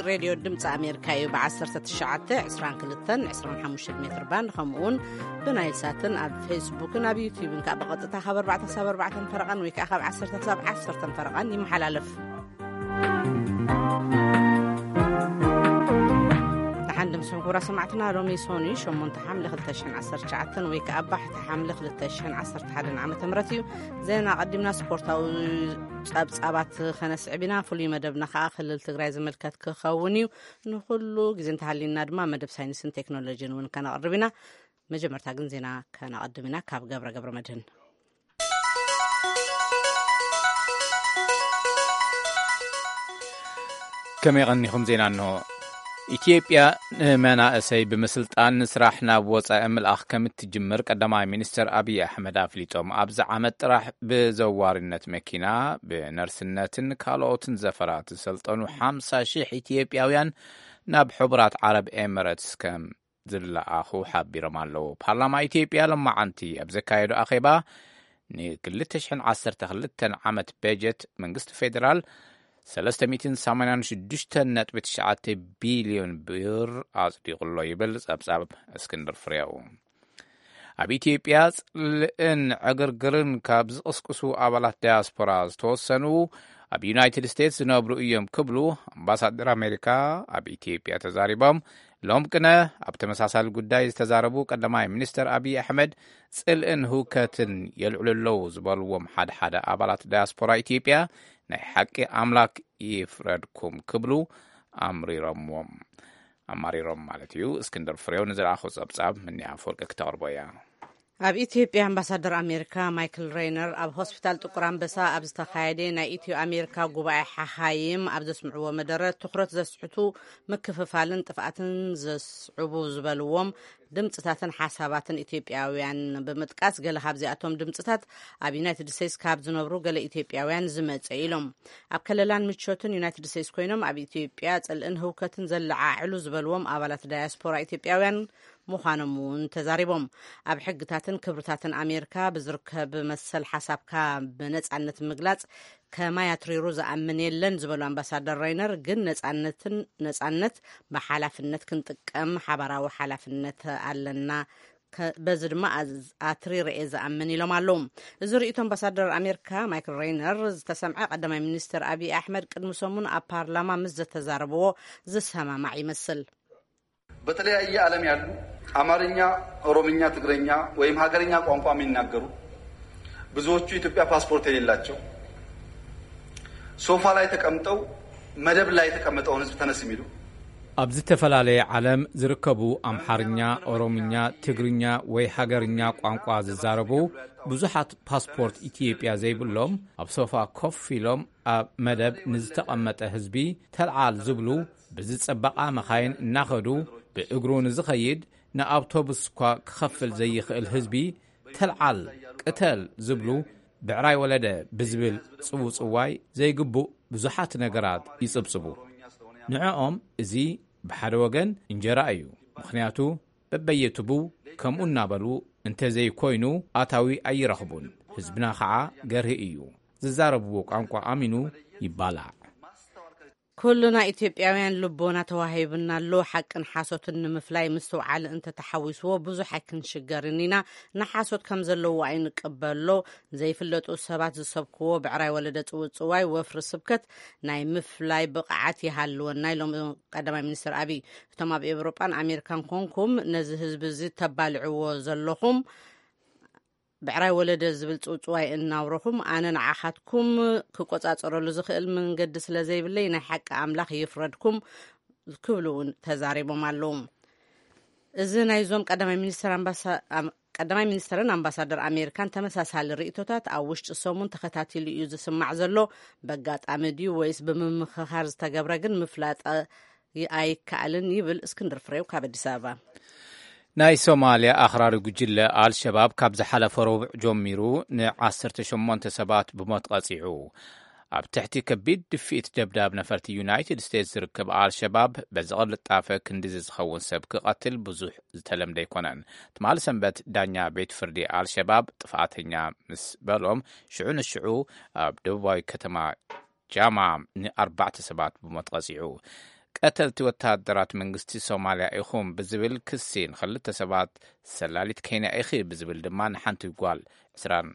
ሬድዮ ድምፂ ኣሜሪካ እዩ። ብ19፣ 22፣ 25 ሜትር ባንድ፣ ከምኡውን ብናይል ሳትን ኣብ ፌስቡክን ኣብ ዩቲዩብን ከዓ ብቐጥታ ካብ ኣርባዕተ ክሳብ ኣርባዕተ ፈረቓን ወይ ከዓ ካብ ዓሰርተ ክሳብ ዓሰርተ ፈረቓን ይመሓላለፍ። ንሓንድም ስም ክቡራ ሰማዕትና፣ ሎሚ ሶኒ ሸሞንተ ሓምለ ክልተ ሽሕን ዓሰርተ ትሽዓተን ወይ ከዓ ባሕቲ ሓምለ ክልተ ሽሕን ዓሰርተ ሓደን ዓመተ ምህረት እዩ። ዜና ቀዲምና ስፖርታዊ ጸብጻባት ከነስዕብ ኢና። ፍሉይ መደብና ከዓ ክልል ትግራይ ዝምልከት ክኸውን እዩ። ንኹሉ ግዜ እንተሃሊና ድማ መደብ ሳይንስን ቴክኖሎጂን እውን ከነቕርብ ኢና። መጀመርታ ግን ዜና ከነቐድም ኢና ካብ ገብረ ገብረ መድህን። ከመይ ቀኒኹም? ዜና እንሆ። ኢትዮጵያ ንመናእሰይ ብምስልጣን ንስራሕ ናብ ወጻኢ ምልኣኽ ከም እትጅምር ቀዳማይ ሚኒስትር ኣብይ ኣሕመድ ኣፍሊጦም። ኣብዚ ዓመት ጥራሕ ብዘዋሪነት መኪና፣ ብነርስነትን ካልኦትን ዘፈራት ዝሰልጠኑ ሓምሳ ሺሕ ኢትዮጵያውያን ናብ ሕቡራት ዓረብ ኤምረትስ ከም ዝለኣኹ ሓቢሮም ኣለዉ። ፓርላማ ኢትዮጵያ ሎማዓንቲ ኣብ ዘካየዶ ኣኼባ፣ ን2012 ዓመት በጀት መንግስቲ ፌደራል ሰለስተ ሚእትን ሰማንያን ሽዱሽተን ነጥቢ ትሽዓተ ቢልዮን ብር ኣጽዲቑ ኣሎ ይብል ጸብጻብ እስክንድር ፍሬው። ኣብ ኢትዮጵያ ጽልእን ዕግርግርን ካብ ዝቕስቅሱ ኣባላት ዳያስፖራ ዝተወሰኑ ኣብ ዩናይትድ ስቴትስ ዝነብሩ እዮም ክብሉ ኣምባሳደር ኣሜሪካ ኣብ ኢትዮጵያ ተዛሪቦም። ሎም ቅነ ኣብ ተመሳሳሊ ጉዳይ ዝተዛረቡ ቀዳማይ ሚኒስትር ኣብይ ኣሕመድ፣ ጽልእን ህውከትን የልዕሉ ኣለዉ ዝበልዎም ሓደ ሓደ ኣባላት ዳያስፖራ ኢትዮጵያ፣ ናይ ሓቂ ኣምላክ ይፍረድኩም ክብሉ ኣምሪሮምዎም ኣማሪሮም ማለት እዩ። እስክንድር ፍሬው ንዝለኣኾ ጸብጻብ ምንያ ኣፈወርቂ ክተቕርቦ እያ። ኣብ ኢትዮጵያ ኣምባሳደር ኣሜሪካ ማይክል ሬይነር ኣብ ሆስፒታል ጥቁር ኣንበሳ ኣብ ዝተኻየደ ናይ ኢትዮ ኣሜሪካ ጉባኤ ሓኻይም ኣብ ዘስምዕዎ መደረ፣ ትኹረት ዘስሕቱ ምክፍፋልን ጥፍኣትን ዘስዕቡ ዝበልዎም ድምፅታትን ሓሳባትን ኢትዮጵያውያን ብምጥቃስ፣ ገለ ካብዚኣቶም ድምፅታት ኣብ ዩናይትድ ስቴትስ ካብ ዝነብሩ ገለ ኢትዮጵያውያን ዝመፀ ኢሎም። ኣብ ከለላን ምቾትን ዩናይትድ ስቴትስ ኮይኖም ኣብ ኢትዮጵያ ጽልእን ህውከትን ዘለዓዕሉ ዝበልዎም ኣባላት ዳያስፖራ ኢትዮጵያውያን ምዃኖም እውን ተዛሪቦም። ኣብ ሕግታትን ክብርታትን ኣሜሪካ ብዝርከብ መሰል ሓሳብካ ብነጻነት ምግላጽ ከማይ ኣትሪሩ ዝኣምን የለን ዝበሉ ኣምባሳደር ሬይነር፣ ግን ነጻነትን፣ ነጻነት ብሓላፍነት ክንጥቀም ሓባራዊ ሓላፍነት ኣለና፣ ከ-፣ በዚ ድማ ኣዝ-፣ ኣትሪረ እየ ዝኣምን ኢሎም ኣለዉ። እዚ ርእይቶ ኣምባሳደር ኣሜሪካ ማይክል ሬይነር ዝተሰምዐ፣ ቀዳማይ ሚኒስትር ኣብይ ኣሕመድ ቅድሚ ሰሙን ኣብ ፓርላማ ምስ ዘተዛረብዎ ዝሰማማዕ ይመስል። በተለያየ ዓለም ያሉ አማርኛ፣ ኦሮምኛ፣ ትግረኛ ወይም ሀገርኛ ቋንቋ የሚናገሩ ብዙዎቹ የኢትዮጵያ ፓስፖርት የሌላቸው ሶፋ ላይ ተቀምጠው መደብ ላይ የተቀመጠውን ህዝብ ተነስ የሚሉ ኣብ ዝተፈላለየ ዓለም ዝርከቡ ኣምሓርኛ፣ ኦሮምኛ፣ ትግርኛ ወይ ሃገርኛ ቋንቋ ዝዛረቡ ብዙሓት ፓስፖርት ኢትዮጵያ ዘይብሎም ኣብ ሶፋ ኮፍ ኢሎም ኣብ መደብ ንዝተቐመጠ ህዝቢ ተልዓል ዝብሉ፣ ብዝጸበቓ መኻይን እናኸዱ ብእግሩ ንዝኸይድ ንኣውቶቡስ እኳ ክኸፍል ዘይኽእል ህዝቢ ተልዓል፣ ቅተል ዝብሉ ብዕራይ ወለደ ብዝብል ጽውጽዋይ ዘይግቡእ ብዙሓት ነገራት ይጽብጽቡ። ንዕኦም እዚ ብሓደ ወገን እንጀራ እዩ። ምኽንያቱ በበየትቡ ከምኡ እናበሉ እንተዘይኮይኑ ኣታዊ ኣይረኽቡን። ህዝብና ኸዓ ገርሂ እዩ። ዝዛረብዎ ቋንቋ ኣሚኑ ይባላዕ። ኩልና ኢትዮጵያውያን ልቦና ተዋሂብና ኣሎ። ሓቅን ሓሶትን ንምፍላይ ምስትውዓል እንተተሓዊስዎ ብዙሕ ኣይክንሽገርን ኢና። ንሓሶት ከም ዘለዎ ኣይንቀበሎ። ዘይፍለጡ ሰባት ዝሰብክዎ ብዕራይ ወለደ ጽውጽዋይ ወፍሪ ስብከት ናይ ምፍላይ ብቕዓት ይሃልወና ኢሎም ቀዳማይ ሚኒስትር ኣብይ። እቶም ኣብ ኤውሮጳን ኣሜሪካን ኮንኩም ነዚ ህዝቢ እዚ ተባልዕዎ ዘለኹም ብዕራይ ወለደ ዝብል ጽውጽዋይ እናውረኹም፣ ኣነ ንዓኻትኩም ክቆጻጸረሉ ዝኽእል መንገዲ ስለ ዘይብለይ ናይ ሓቂ ኣምላኽ ይፍረድኩም ክብሉ እውን ተዛሪቦም ኣለዉ። እዚ ናይዞም ቀዳማይ ሚኒስትር ኣምባሳ-፣ ኣም-፣ ቀዳማይ ሚኒስትርን ኣምባሳደር ኣሜሪካን ተመሳሳሊ ርእይቶታት ኣብ ውሽጢ ሰሙን ተኸታቲሉ እዩ ዝስማዕ ዘሎ። በጋጣሚ ድዩ ወይስ ብምምኽኻር ዝተገብረ ግን ምፍላጥ ኣይከኣልን ይብል እስክንድር ፍሬው ካብ ኣዲስ ኣበባ። ናይ ሶማልያ ኣኽራሪ ጉጅለ ኣልሸባብ ካብ ዝሓለፈ ረቡዕ ጀሚሩ ን18 ሰባት ብሞት ቀጺዑ። ኣብ ትሕቲ ከቢድ ድፍኢት ደብዳብ ነፈርቲ ዩናይትድ ስቴትስ ዝርከብ ኣልሸባብ በዚ ቅልጣፈ ክንዲዚ ዝኸውን ሰብ ክቐትል ብዙሕ ዝተለምደ ኣይኮነን። ትማሊ ሰንበት ዳኛ ቤት ፍርዲ ኣልሸባብ ጥፍኣተኛ ምስ በሎም ሽዑ ንሽዑ ኣብ ደቡባዊ ከተማ ጃማ ንኣርባዕተ ሰባት ብሞት ቀጺዑ። ቀተልቲ ወታደራት መንግስቲ ሶማልያ ኢኹም ብዝብል ክሲ ንኽልተ ሰባት፣ ሰላሊት ኬንያ ኢኺ ብዝብል ድማ ንሓንቲ ጓል ዕስራን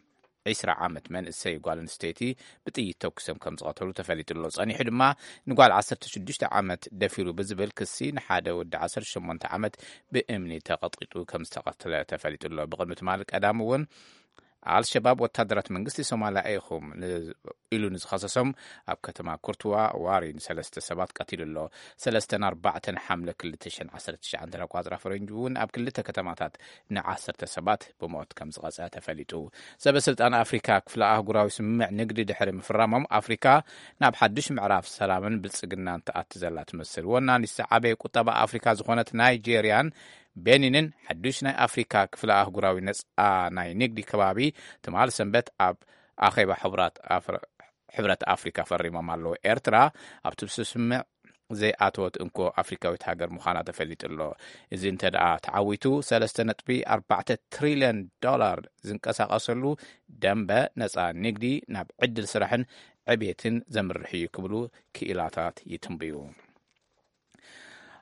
ዕስራ ዓመት መንእሰይ ጓል ኣንስተይቲ ብጥይት ተኩሶም ከም ዝቐተሉ ተፈሊጡ ኣሎ። ጸኒሑ ድማ ንጓል ዓሰርተ ሽዱሽተ ዓመት ደፊሩ ብዝብል ክሲ ንሓደ ወዲ ዓሰርተ ሸሞንተ ዓመት ብእምኒ ተቐጥቂጡ ከም ዝተቐተለ ተፈሊጡ ኣሎ። ብቕድሚ ትማሊ ቀዳም እውን ኣልሸባብ ወታደራት መንግስቲ ሶማልያ ኢኹም ን-፣ ኢሉ ንዝኸሰሶም ኣብ ከተማ ኩርትዋ ዋሪ ንሰለስተ ሰባት ቀቲሉ ኣሎ። ሰለስተን ኣርባዕተን ሓምለ ክልተ ሽሕን ዓሰርተ ትሽዓን ኣቋጽራ ፈረንጂ እውን ኣብ ክልተ ከተማታት ንዓሰርተ ሰባት ብሞት ከም ዝቐጸ ተፈሊጡ። ሰበ ስልጣን ኣፍሪካ ክፍለ ኣህጉራዊ ስምምዕ ንግዲ ድሕሪ ምፍራሞም ኣፍሪካ ናብ ሓድሽ ምዕራፍ ሰላምን ብልጽግናን ትኣቲ ዘላ ትመስል። ወናኒት ዝዓበየ ቁጠባ ኣፍሪካ ዝኾነት ናይጄርያን ቤኒንን ሓዱሽ ናይ ኣፍሪካ ክፍለ ኣህጉራዊ ነፃ ናይ ንግዲ ከባቢ ትማል ሰንበት ኣብ ኣኼባ ሕቡራት ኣፍር-፣ ሕብረት ኣፍሪካ ፈሪሞም ኣለዉ። ኤርትራ ኣብቲ ስምምዕ ዘይኣተወት እንኮ ኣፍሪካዊት ሃገር ምዃና ተፈሊጡ ኣሎ። እዚ እንተ ደኣ ተዓዊቱ ሰለስተ ነጥቢ ኣርባዕተ ትሪልዮን ዶላር ዝንቀሳቐሰሉ ደንበ ነፃ ንግዲ ናብ ዕድል ስራሕን ዕቤትን ዘምርሕ እዩ ክብሉ ክኢላታት ይትንብዩ።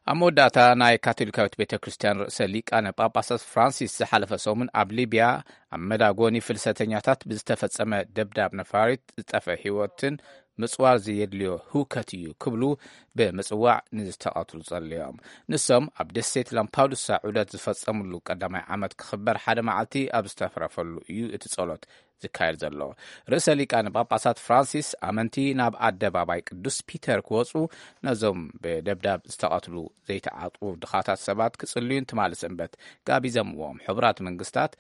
ኣብ መወዳእታ ናይ ካቶሊካዊት ቤተ ክርስቲያን ርእሰ ሊቃነ ጳጳሳት ፍራንሲስ ዝሓለፈ ሰሙን ኣብ ሊብያ ኣብ መዳጎኒ ፍልሰተኛታት ብዝተፈጸመ ደብዳብ ነፋሪት ዝጠፈ ህይወትን ምጽዋር ዘየድልዮ ህውከት እዩ ክብሉ ብምጽዋዕ ንዝተቐትሉ ጸልዮም። ንሶም ኣብ ደሴት ላምፓዱሳ ዑደት ዝፈጸምሉ ቀዳማይ ዓመት ክኽበር ሓደ መዓልቲ ኣብ ዝተረፈሉ እዩ እቲ ጸሎት ዝካየድ ዘሎ። ርእሰ ሊቃነ ጳጳሳት ፍራንሲስ ኣመንቲ ናብ ኣደባባይ ቅዱስ ፒተር ክወጹ ነዞም ብደብዳብ ዝተቐትሉ ዘይተዓጥቁ ድኻታት ሰባት ክጽልዩን ትማሊ ሰንበት ጋቢዘምዎም። ሕቡራት መንግስታት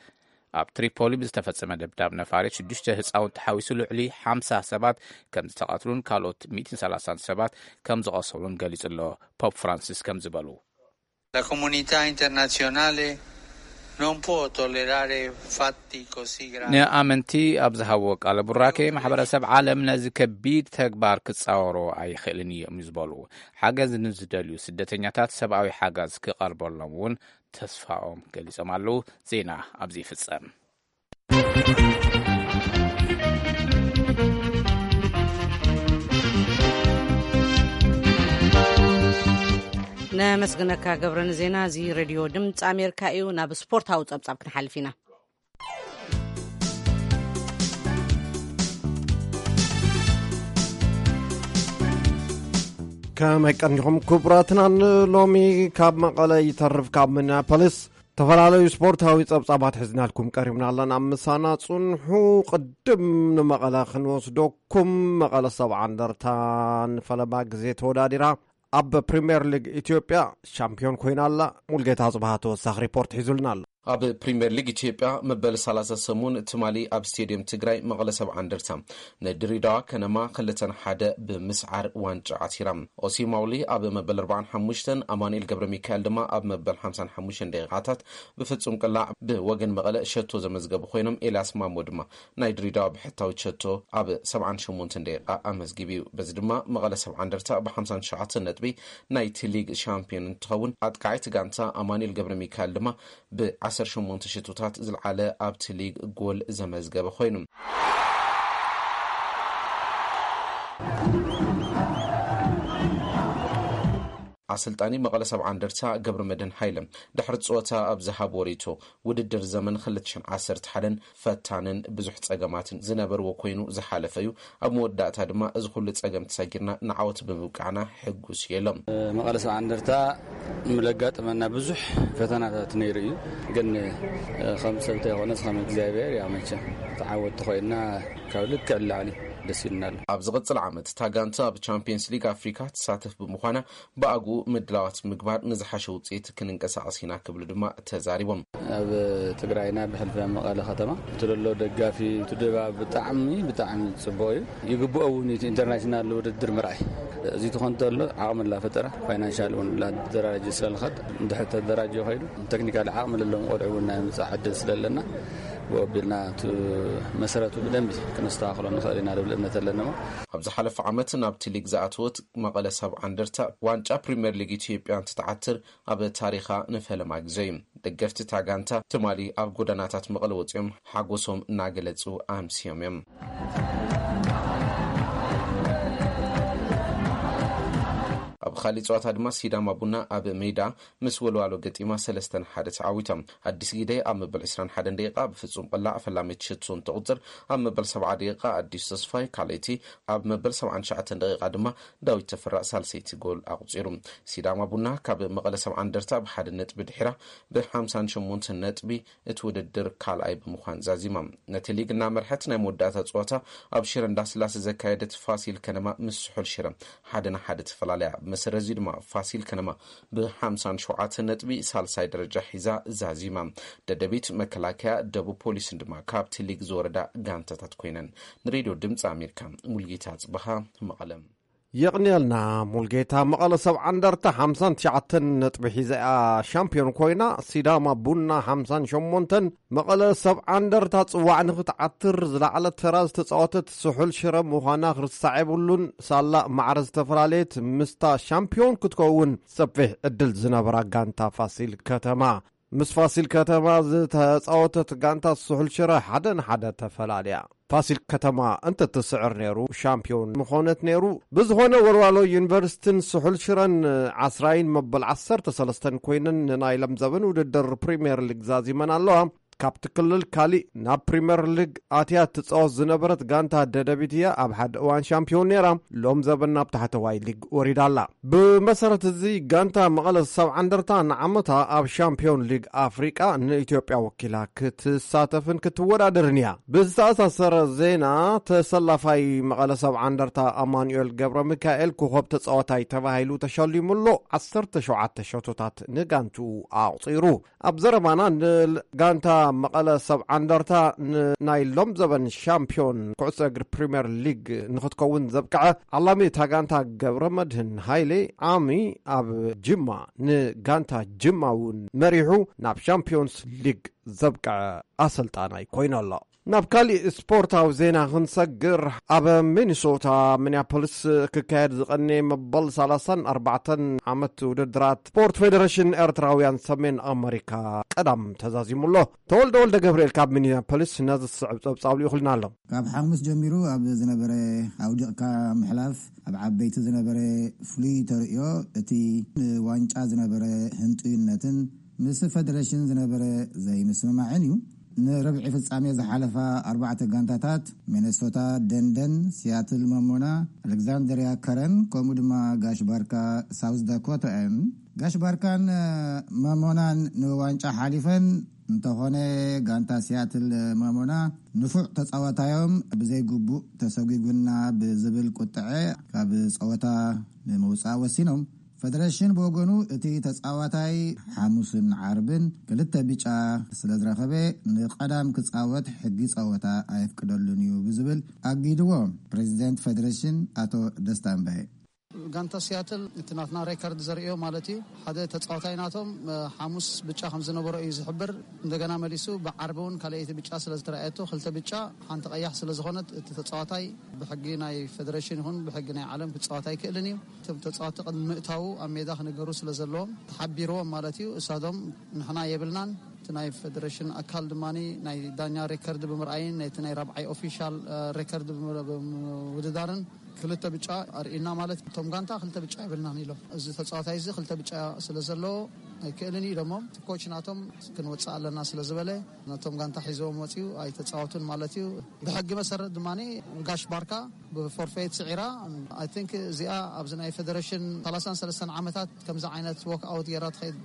ኣብ ትሪፖሊ ብዝተፈጸመ ደብዳብ ነፋሪት ሽዱሽተ ህጻውንቲ ሓዊሱ ልዕሊ ሓምሳ ሰባት ከም ዝተቐትሉን ካልኦት ሚእትን ሰላሳን ሰባት ከም ዝቐሰሉን ገሊጹ ኣሎ። ፖፕ ፍራንሲስ ከም ዝበሉ La comunità internazionale non può tollerare fatti così gravi. ንኣመንቲ ኣብ ዝሃብዎ ቃለ ቡራኬ፣ ማሕበረሰብ ዓለም ነዚ ከቢድ ተግባር ክጻወሮ ኣይኽእልን እዮም ዝበሉ። ሓገዝ ንዝደልዩ ስደተኛታት ሰብኣዊ ሓገዝ ክቐርበሎም እውን ተስፋኦም ገሊጾም ኣለዉ። ዜና ኣብዚ ይፍጸም። ነመስግነካ ገብረ ንዜና። እዚ ሬድዮ ድምፂ ኣሜሪካ እዩ። ናብ ስፖርታዊ ጸብጻብ ክንሓልፍ ኢና። ከመይ ቀኒኹም ክቡራትና? ንሎሚ ካብ መቐለ ይተርፍ፣ ካብ ሚኒያፖሊስ ዝተፈላለዩ ስፖርታዊ ጸብጻባት ሒዝናልኩም ቀሪብና ኣለና። ምሳና ጽንሑ። ቅድም ንመቐለ ክንወስደኩም። መቐለ ሰብዓ እንደርታ ንፈለማ ግዜ ተወዳዲራ ኣብ ፕሪምየር ሊግ ኢትዮጵያ ሻምፒዮን ኮይና ኣላ። ሙልጌታ ጽባሃ ተወሳኺ ሪፖርት ሒዙልና ኣሎ። ኣብ ፕሪምየር ሊግ ኢትዮጵያ መበል ሰላሳ ሰሙን ትማሊ ኣብ ስቴድየም ትግራይ መቐለ ሰብዓ እንደርታ ንድሬዳዋ ከነማ ክልተ ንሓደ ብምስዓር ዋንጫ ዓቲራ። ኦሲ ማውሊ ኣብ መበል ኣርባዓን ሓሙሽተን፣ ኣማኑኤል ገብረ ሚካኤል ድማ ኣብ መበል ሓምሳን ሓሙሽተን ደቂቓታት ብፍጹም ቅላዕ ብወገን መቐለ ሸቶ ዘመዝገቡ ኮይኖም፣ ኤልያስ ማሞ ድማ ናይ ድሬዳዋ ብሕታዊ ሸቶ ኣብ ሰብዓን ሸሞንተን ደቂቓ ኣመዝጊቡ እዩ። በዚ ድማ መቐለ ሰብዓ እንደርታ ብ ሓምሳን ትሽዓተን ነጥቢ ናይቲ ሊግ ሻምፒዮን እንትኸውን፣ ኣጥቃዒት ጋንታ ኣማኑኤል ገብረ ሚካኤል ድማ ብ ዓሰርተ ሸሞንተ ሸቶታት ዝለዓለ ኣብቲ ሊግ ጎል ዘመዝገበ ኮይኑ። ኣሰልጣኒ መቐለ ሰብዓ እንደርታ ገብረ መድህን ሃይለ ድሕሪ ጸወታ ኣብ ዝሃብዎ ርእይቶ፣ ውድድር ዘመን ክልተ ሽሕን ዓሰርተ ሓደን ፈታንን ብዙሕ ጸገማትን ዝነበርዎ ኮይኑ ዝሓለፈ እዩ። ኣብ መወዳእታ ድማ እዚ ኩሉ ጸገም ተሰጊርና ንዓወት ብምብቃዕና ሕጉስ እየ ኢሎም። መቐለ ሰብዓ እንደርታ ምለጋጠመና ብዙሕ ፈተናታት ነይሩ እዩ። ግን ከም ሰብ እንተይኮነስ ከም እግዚኣብሔር፣ ያው መቸም ተዓወትቲ ኮይንና ካብ ልክዕ ንላዕሊ ደስ ኢሉና ኣሎ። ኣብ ዝቕጽል ዓመት እታ ጋንታ ኣብ ቻምፒየንስ ሊግ ኣፍሪካ ትሳተፍ ብምዃና ብኣግኡ ምድላዋት ምግባር ንዝሓሸ ውፅኢት ክንንቀሳቐስ ኢና ክብሉ ድማ ተዛሪቦም። ኣብ ትግራይና ብሕልፊ ኣብ መቐለ ከተማ እቲ ዘሎ ደጋፊ፣ እቲ ድባብ ብጣዕሚ፣ ብጣዕሚ ፅቡቕ እዩ። ይግብኦ እውን እቲ ኢንተርናሽናል ውድድር ምርኣይ። እዚ ትኾን ተሎ ዓቕሚ ላፈጠረ፣ ፋይናንሻል እውን ላደራጀ ስለልኸድ፣ እንድሕር ተደራጀ ኸይዱ፣ ቴክኒካል ዓቕሚ ለለዎም ቆልዑ እውን ናይ ምምፃእ ዕድል ስለለና፣ ብኡ ኣቢልና እቲ መሰረቱ ብደንቢ ክነስተኻኽሎ ንኽእል ኢና ዝብል እምነት ኣለና። ኣብ ዝሓለፈ ዓመት ናብቲ ሊግ ዝኣተወት መቐለ ሰብዓ እንደርታ ዋንጫ ፕሪምየር ሊግ ኢትዮጵያ እንትትዓትር ኣብ ታሪኻ ንፈለማ ግዜ እዩ። ደገፍቲ እታ ጋንታ ትማሊ ኣብ ጎደናታት መቐለ ወፂኦም ሓጎሶም እናገለፁ ኣምስዮም እዮም። ብኻሊእ ፀዋታ ድማ ሲዳማ ቡና ኣብ ሜዳ ምስ ወልዋሎ ገጢማ ሰለስተ ንሓደ ተዓዊታ። ኣዲስ ጊደ ኣብ መበል ዕስራን ሓደን ደቂቃ ብፍጹም ቅላዕ ፈላሚት ሽቱ እንትቑጽር፣ ኣብ መበል ሰብዓ ደቂቃ ኣዲስ ተስፋይ ካልኣይቲ፣ ኣብ መበል ሰብዓን ትሽዓተን ደቂቃ ድማ ዳዊት ተፈራ ሳልሰይቲ ጎል ኣቑጺሩ። ሲዳማ ቡና ካብ መቐለ ሰብዓ እንደርታ ብሓደ ነጥቢ ድሒራ ብሓምሳን ሸሞንተን ነጥቢ እቲ ውድድር ካልኣይ ብምዃን ዛዚማ። ነቲ ሊግ እናመርሐት ናይ መወዳእታ ፀዋታ ኣብ ሽረ እንዳስላሴ ዘካየደት ፋሲል ከነማ ምስ ስሑል ሽረ ሓደ ንሓደ ተፈላለያ። ብመሰረት እዚ ድማ ፋሲል ከነማ ብሓምሳን ሸውዓተን ነጥቢ ሳልሳይ ደረጃ ሒዛ ዛዚማ። ደደቢት፣ መከላከያ፣ ደቡብ ፖሊስን ድማ ካብቲ ሊግ ዝወረዳ ጋንታታት ኮይነን። ንሬድዮ ድምፂ ኣሜሪካ፣ ሙልጌታ ጽበኻ፣ መቐለ። የቕንየልና ሙልጌታ። መቐለ ሰብዓ እንደርታ ሓምሳን ትሽዓተን ነጥቢ ሒዛ እያ ሻምፒዮን ኮይና፣ ሲዳማ ቡና ሓምሳን ሸሞንተን። መቐለ ሰብዓ እንደርታ ጽዋዕ ንኽትዓትር ዝለዓለ ተራ ዝተጻወተት ስሑል ሽረ ምዃና ክርሳዕ የብሉን። ሳላ ማዕረ ዝተፈላለየት ምስታ ሻምፒዮን ክትከውን ሰፊሕ ዕድል ዝነበራ ጋንታ ፋሲል ከተማ። ምስ ፋሲል ከተማ ዝተጻወተት ጋንታ ስሑል ሽረ ሓደ ንሓደ ተፈላልያ። ፋሲል ከተማ እንተትስዕር ነይሩ ሻምፒዮን ምኾነት ነይሩ። ብዝኾነ ወልዋሎ ዩኒቨርሲቲን ስሑል ሽረን ዓስራይን መበል ዓሰርተ ሰለስተን ኮይነን ንናይ ለምዘበን ውድድር ፕሪምየር ሊግ ዛዚመን ኣለዋ። ካብቲ ክልል ካሊእ ናብ ፕሪምየር ሊግ ኣትያ ትጻወት ዝነበረት ጋንታ ደደቢት እያ ኣብ ሓደ እዋን ሻምፒዮን ነይራ። ሎም ዘበን ናብ ታሕተዋይ ሊግ ወሪዳ ኣላ። ብመሰረት እዚ ጋንታ መቐለ ሰብዓ እንደርታ ንዓመታ ኣብ ሻምፒዮን ሊግ ኣፍሪቃ ንኢትዮጵያ ወኪላ ክትሳተፍን ክትወዳደርን እያ። ብዝተኣሳሰረ ዜና፣ ተሰላፋይ መቐለ ሰብዓ እንደርታ ኣማኑኤል ገብረ ሚካኤል ኮኸብ ተጻዋታይ ተባሂሉ ተሸሊሙ ኣሎ። ዓሰርተ ሸውዓተ ሸቶታት ንጋንቱ ኣቑጺሩ። ኣብ ዘረባና ንጋንታ መቐለ ሰብዓ እንደርታ ንናይ ሎም ዘበን ሻምፒዮን ኩዕሶ እግሪ ፕሪምየር ሊግ ንክትከውን ዘብቅዐ ዓላሚ እታ ጋንታ ገብረ መድህን ሃይሌ ዓሚ ኣብ ጅማ ንጋንታ ጅማ እውን መሪሑ ናብ ሻምፒዮንስ ሊግ ዘብቅዐ ኣሰልጣናይ ኮይኑ ኣሎ። ናብ ካሊእ ስፖርታዊ ዜና ክንሰግር፣ ኣብ ሚኒሶታ ሚኒያፖሊስ ክካየድ ዝቐነየ መበል ሰላሳን ኣርባዕተን ዓመት ውድድራት ስፖርት ፌደሬሽን ኤርትራውያን ሰሜን ኣመሪካ ቀዳም ተዛዚሙ ኣሎ። ተወልደ ወልደ ገብርኤል ካብ ሚኒያፖሊስ ነዚ ዝስዕብ ጸብጻብ ልኢኹልና ኣሎ። ካብ ሓሙስ ጀሚሩ ኣብ ዝነበረ ኣውዲቕካ ምሕላፍ ኣብ ዓበይቲ ዝነበረ ፍሉይ ተርእዮ እቲ ንዋንጫ ዝነበረ ህንጡይነትን ምስ ፌደሬሽን ዝነበረ ዘይምስምማዕን እዩ። ንርብዒ ፍጻሜ ዝሓለፋ ኣርባዕተ ጋንታታት ሚነሶታ ደንደን፣ ሲያትል መሞና፣ ኣሌክዛንድሪያ ከረን ከምኡ ድማ ጋሽ ባርካ ሳውዝ ዳኮታ እየን። ጋሽ ባርካን መሞናን ንዋንጫ ሓሊፈን እንተኾነ፣ ጋንታ ሲያትል መሞና ንፉዕ ተጻዋታዮም ብዘይግቡእ ተሰጒጉና ብዝብል ቁጥዐ ካብ ጸወታ ንምውጻእ ወሲኖም። ፈደረሽን ብወገኑ፣ እቲ ተጻዋታይ ሓሙስን ዓርብን ክልተ ብጫ ስለ ዝረኸበ፣ ንቐዳም ክጻወት ሕጊ ጸወታ ኣየፍቅደሉን እዩ ብዝብል ኣጊድዎ። ፕሬዚደንት ፈደረሽን ኣቶ ደስታ እምባየ። ጋንታ ሲያትል እቲ ናትና ሬከርድ ዘርእዮ ማለት እዩ። ሓደ ተጻዋታይ ናቶም፣ እ፣ ሓሙስ ብጫ ከም ዝነበሮ እዩ ዝሕብር። እንደገና መሊሱ ብዓርቢ እውን ካልኣይቲ ብጫ ስለ ዝተረኣየቶ፣ ክልተ ብጫ ሓንቲ ቀያሕ ስለ ዝኾነት፣ እቲ ተጻዋታይ ብሕጊ ናይ ፈደረሽን ይኹን ብሕጊ ናይ ዓለም ክጻወት ኣይክእልን እዩ። እቶም ተጻወትቲ ቅድሚ ምእታዉ ኣብ ሜዳ ክነገሩ ስለ ዘለዎም ተሓቢርዎም ማለት እዩ። እሳቶም ንሕና የብልናን። እቲ ናይ ፈደረሽን ኣካል ድማ ናይ ዳኛ ሬከርድ ብምርኣይን ናይቲ ናይ ራብዓይ ኦፊሻል፣ እ፣ ሬከርድ ብምር-፣ ብምውድዳርን ክልተ ብጫ ኣርእዩና ማለት እቶም ጋንታ ክልተ ብጫ የብልናን ኢሎም። እዚ ተጻዋታይ እዚ ክልተ ብጫ ስለ ዘለዎ ኣይክእልን እዩ ኢሎሞም። እቲ ኮች ናቶም ክንወጽእ ኣለና ስለ ዝበለ ነቶም ጋንታ ሒዝዎም ወጺኡ ኣይተጻወቱን ማለት እዩ። ብሕጊ መሰረት ድማ ጋሽ ባርካ ብፎርፌት ስዒራ። ኣይ ቲንክ እዚኣ ኣብዚ ናይ ፈደረሽን ሰላሳን ሰለስተን ዓመታት ከምዚ ዓይነት ዎክ ኣውት ጌራ ትኸይድ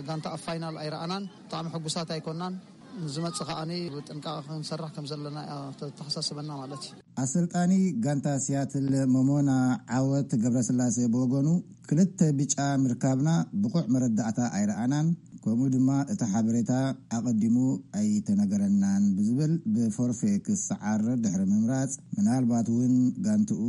ጋንታ ኣብ ፋይናል ኣይረኣናን። ብጣዕሚ ሕጉሳት ኣይኮናን። ንዝመጽእ ከኣኒ ብጥንቃቐ ክንሰርሕ ከም ዘለና እያ ተተሓሳስበና ማለት እዩ። ኣሰልጣኒ ጋንታ ሲያትል መሞና ዓወት ገብረስላሴ ብወገኑ፣ ክልተ ብጫ ምርካብና ብቑዕ መረዳእታ ኣይረኣናን፣ ከምኡ ድማ እቲ ሓበሬታ ኣቐዲሙ ኣይተነገረናን ብዝብል ብፎርፌ ክሰዓር ድሕሪ ምምራጽ፣ ምናልባት እውን ጋንትኡ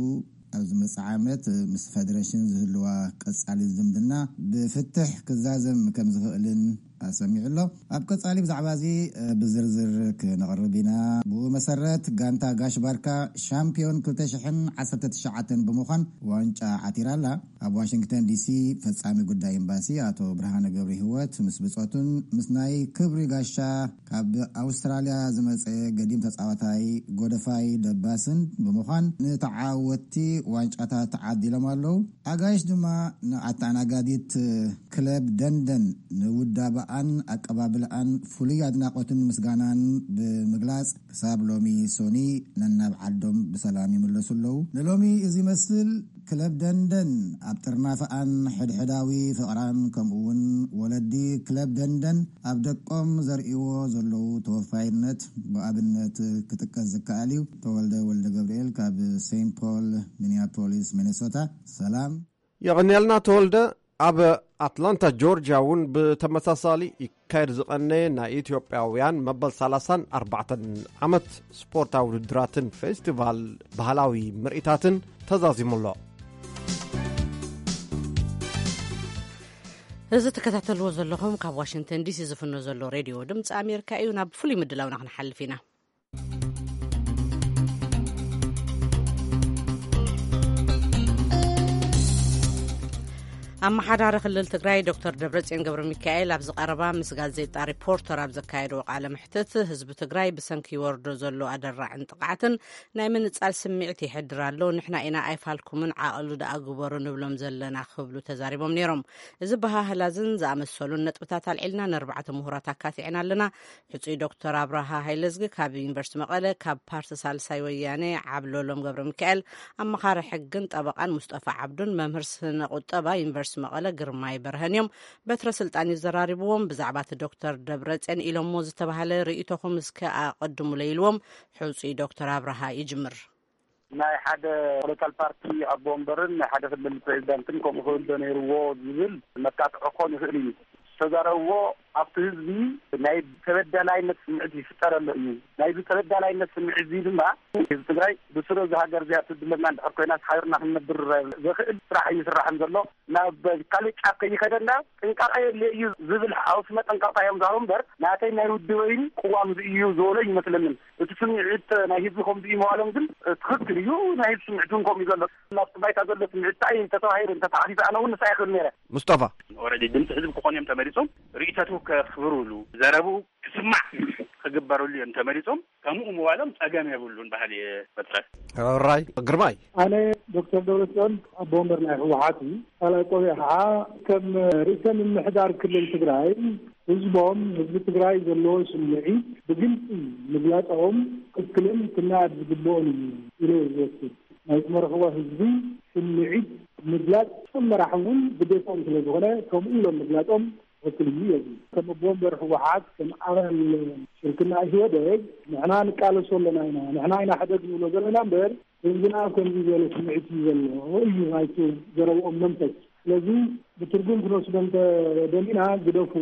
ኣብ ዝመጽእ ዓመት ምስ ፈደረሽን ዝህልዋ ቀጻሊ ዝምድና ብፍትሕ ክዛዘም ከም ዝኽእልን ኣሰሚዑ ኣሎ። ኣብ ቀጻሊ ብዛዕባ እዚ፣ እ፣ ብዝርዝር ክነቕርብ ኢና። ብኡ መሰረት፣ ጋንታ ጋሽ ባርካ ሻምፒዮን ክልተ ሽሕን ዓሰርተ ትሽዓተን ብምዃን ዋንጫ ዓቲራ ኣላ። ኣብ ዋሽንግተን ዲሲ ፈጻሚ ጉዳይ ኤምባሲ ኣቶ ብርሃነ ገብረ ህይወት ምስ ብጾቱን ምስ ናይ ክብሪ ጋሻ ካብ ኣውስትራልያ ዝመጸ ገዲም ተጻዋታይ ጎደፋይ ደባስን ብምዃን ንተዓወትቲ ዋንጫታት ተዓዲሎም ኣለዉ። ኣጋይሽ ድማ ንኣተኣናጋዲት ክለብ ደንደን ንውዳበኣን ኣቀባብልኣን ፍሉይ ኣድናቖትን ምስጋናን ብምግላጽ ክሳብ ሎሚ ሶኒ ነናብ ዓዶም ብሰላም ይምለሱ ኣለዉ። ንሎሚ እዚ ይመስል። ክለብ ደንደን ኣብ ጥርናፈኣን ሕድሕዳዊ ፍቕራን ከምኡ እውን ወለዲ ክለብ ደንደን ኣብ ደቆም ዘርእይዎ ዘለዉ ተወፋይነት ብኣብነት ክጥቀስ ዝከኣል እዩ። ተወልደ ወልደ ገብርኤል ካብ ሴንት ፖል ሚኒያፖሊስ ሚኔሶታ። ሰላም። የቐንየልና ተወልደ። ኣብ ኣትላንታ ጆርጅያ እውን ብተመሳሳሊ ይካየድ ዝቐነየ ናይ ኢትዮጵያውያን መበል ሰላሳን ኣርባዕተን ዓመት ስፖርታዊ ውድድራትን ፌስቲቫል ባህላዊ ምርኢታትን ተዛዚሙ ኣሎ። እዚ ትከታተልዎ ዘለኹም ካብ ዋሽንግተን ዲሲ ዝፍኖ ዘሎ ሬድዮ ድምፂ ኣሜሪካ እዩ። ናብ ፍሉይ ምድላውና ክንሓልፍ ኢና። ኣመሓዳሪ ክልል ትግራይ ዶክተር ደብረጽዮን ገብረ ሚካኤል ኣብዚ ቀረባ ምስ ጋዜጣ ሪፖርተር ኣብ ዘካየድዎ ቃለ መሕትት፣ ህዝቢ ትግራይ ብሰንኪ ይወርዶ ዘሎ ኣደራዕን ጥቕዓትን ናይ ምንጻል ስምዒት ይሕድር ኣሎ። ንሕና ኢና ኣይፋልኩምን፣ ዓቐሉ ደኣ ግበሩ ንብሎም ዘለና ክብሉ ተዛሪቦም ነይሮም። እዚ በሃህላዝን ዝኣመሰሉን ነጥብታት ኣልዒልና ንኣርባዕተ ምሁራት ኣካቲዕና ኣለና። ሕጹይ ዶክተር ኣብርሃ ሃይለዝጊ ካብ ዩኒቨርሲቲ መቐለ፣ ካብ ፓርቲ ሳልሳይ ወያነ ዓብሎሎም ገብረ ሚካኤል ኣመኻሪ ሕግን ጠበቓን ሙስጠፋ ዓብዱን መምህር ስነ ቁጠባ ዩኒቨርሲቲ መቐለ ግርማይ በርሀን እዮም። በትረ ስልጣን እዩ ዘራሪብዎም። ብዛዕባ እቲ ዶክተር ደብረጽዮን ኢሎሞ ዝተባህለ ርእይቶኹም እስከ ኣቐድሙለይ ኢልዎም። ሕጹይ ዶክተር ኣብርሃ ይጅምር። ናይ ሓደ ፖለቲካል ፓርቲ ኣቦ ወንበርን ናይ ሓደ ክልል ፕሬዚዳንትን ከምኡ ክብል ዶ ነይርዎ ዝብል መጣጥዖ ክኾን ይኽእል እዩ። ዝተዛረብዎ ኣብቲ ህዝቢ ናይ ተበዳላይነት ስምዒት ይፍጠረሉ እዩ። ናይዚ ተበዳላይነት ስምዒት እዚ ድማ ህዝቢ ትግራይ ብስሩ እዚ ሃገር እዚኣ ትድለና እንድሕር ኮይና ሓቢርና ክንነብር ዘኽእል ስራሕ እዩ ዝስራሕን ዘሎ። ናብ ካልእ ጫፍ ከይኸደና ጥንቃቐ የድልዮ እዩ ዝብል ሓውሲ መጠንቀቕታ እዮም ዝሃቡ እምበር ናተይ ናይ ውድበይን ቅዋም እዚ እዩ ዝበሎ ይመስለንን። እቲ ስምዒት ናይ ህዝቢ ከምዚ እዩ ምባሎም ግን ትኽክል እዩ። ናይ ህዝቢ ስምዒት እውን ከምኡ እዩ ዘሎ። ናብቲ ባይታ ዘሎ ስምዒት እንታይ እዩ እንተተባሂሉ እንተተዓፊፈ ኣነ እውን ንሳ ይኽእል ነይረ። ሙስጠፋ። ኦረዲ ድምፂ ህዝቢ ክኾኑ እዮም ተመሪፆም። ርእይቶቱ ከኽብሩሉ፣ ዘረብኡ ክስማዕ ክግበረሉ እዮም ተመሪፆም። ከምኡ ምባሎም ፀገም የብሉን ባህል እየ በትረ። ራይ ግርማይ። ኣነ ዶክተር ደብረፅዮን ኣቦ ወንበር ናይ ህወሓት እዩ። ካልኣይ ቆቢዕ ከዓ ከም ርእሰ ምምሕዳር ክልል ትግራይ ህዝቦም፣ ህዝቢ ትግራይ ዘለዎ ስምዒት ብግልፂ ምግላፆም ትክክልን ክነኣድ ዝግብኦን እዩ ኢለ እየ ዝወስድ። ናይ ዝመርሕዎ ህዝቢ ስምዒት ምግላፅ ከም መራሒ እውን ግዴታኦም ስለ ዝኾነ ከምኡ ኢሎም ምግላፆም ትክክል እዩ። እዚ ከም ኣቦ ወንበር ህወሓት፣ ከም ኣባል ሽርክና ኢህወደግ ንሕና ንቃለሶ ኣለና ኢና፣ ንሕና ኢና ሕደግ ንብሎ ዘለና እምበር ህዝብና ኣብ ከምዚ ዝበለ ስምዒት እዩ ዘሎ እዩ ናይቲ ዘረብኦም መንፈስ። ስለዚ ብትርጉም ክንወስዶ እንተደሊና ግደፉ፣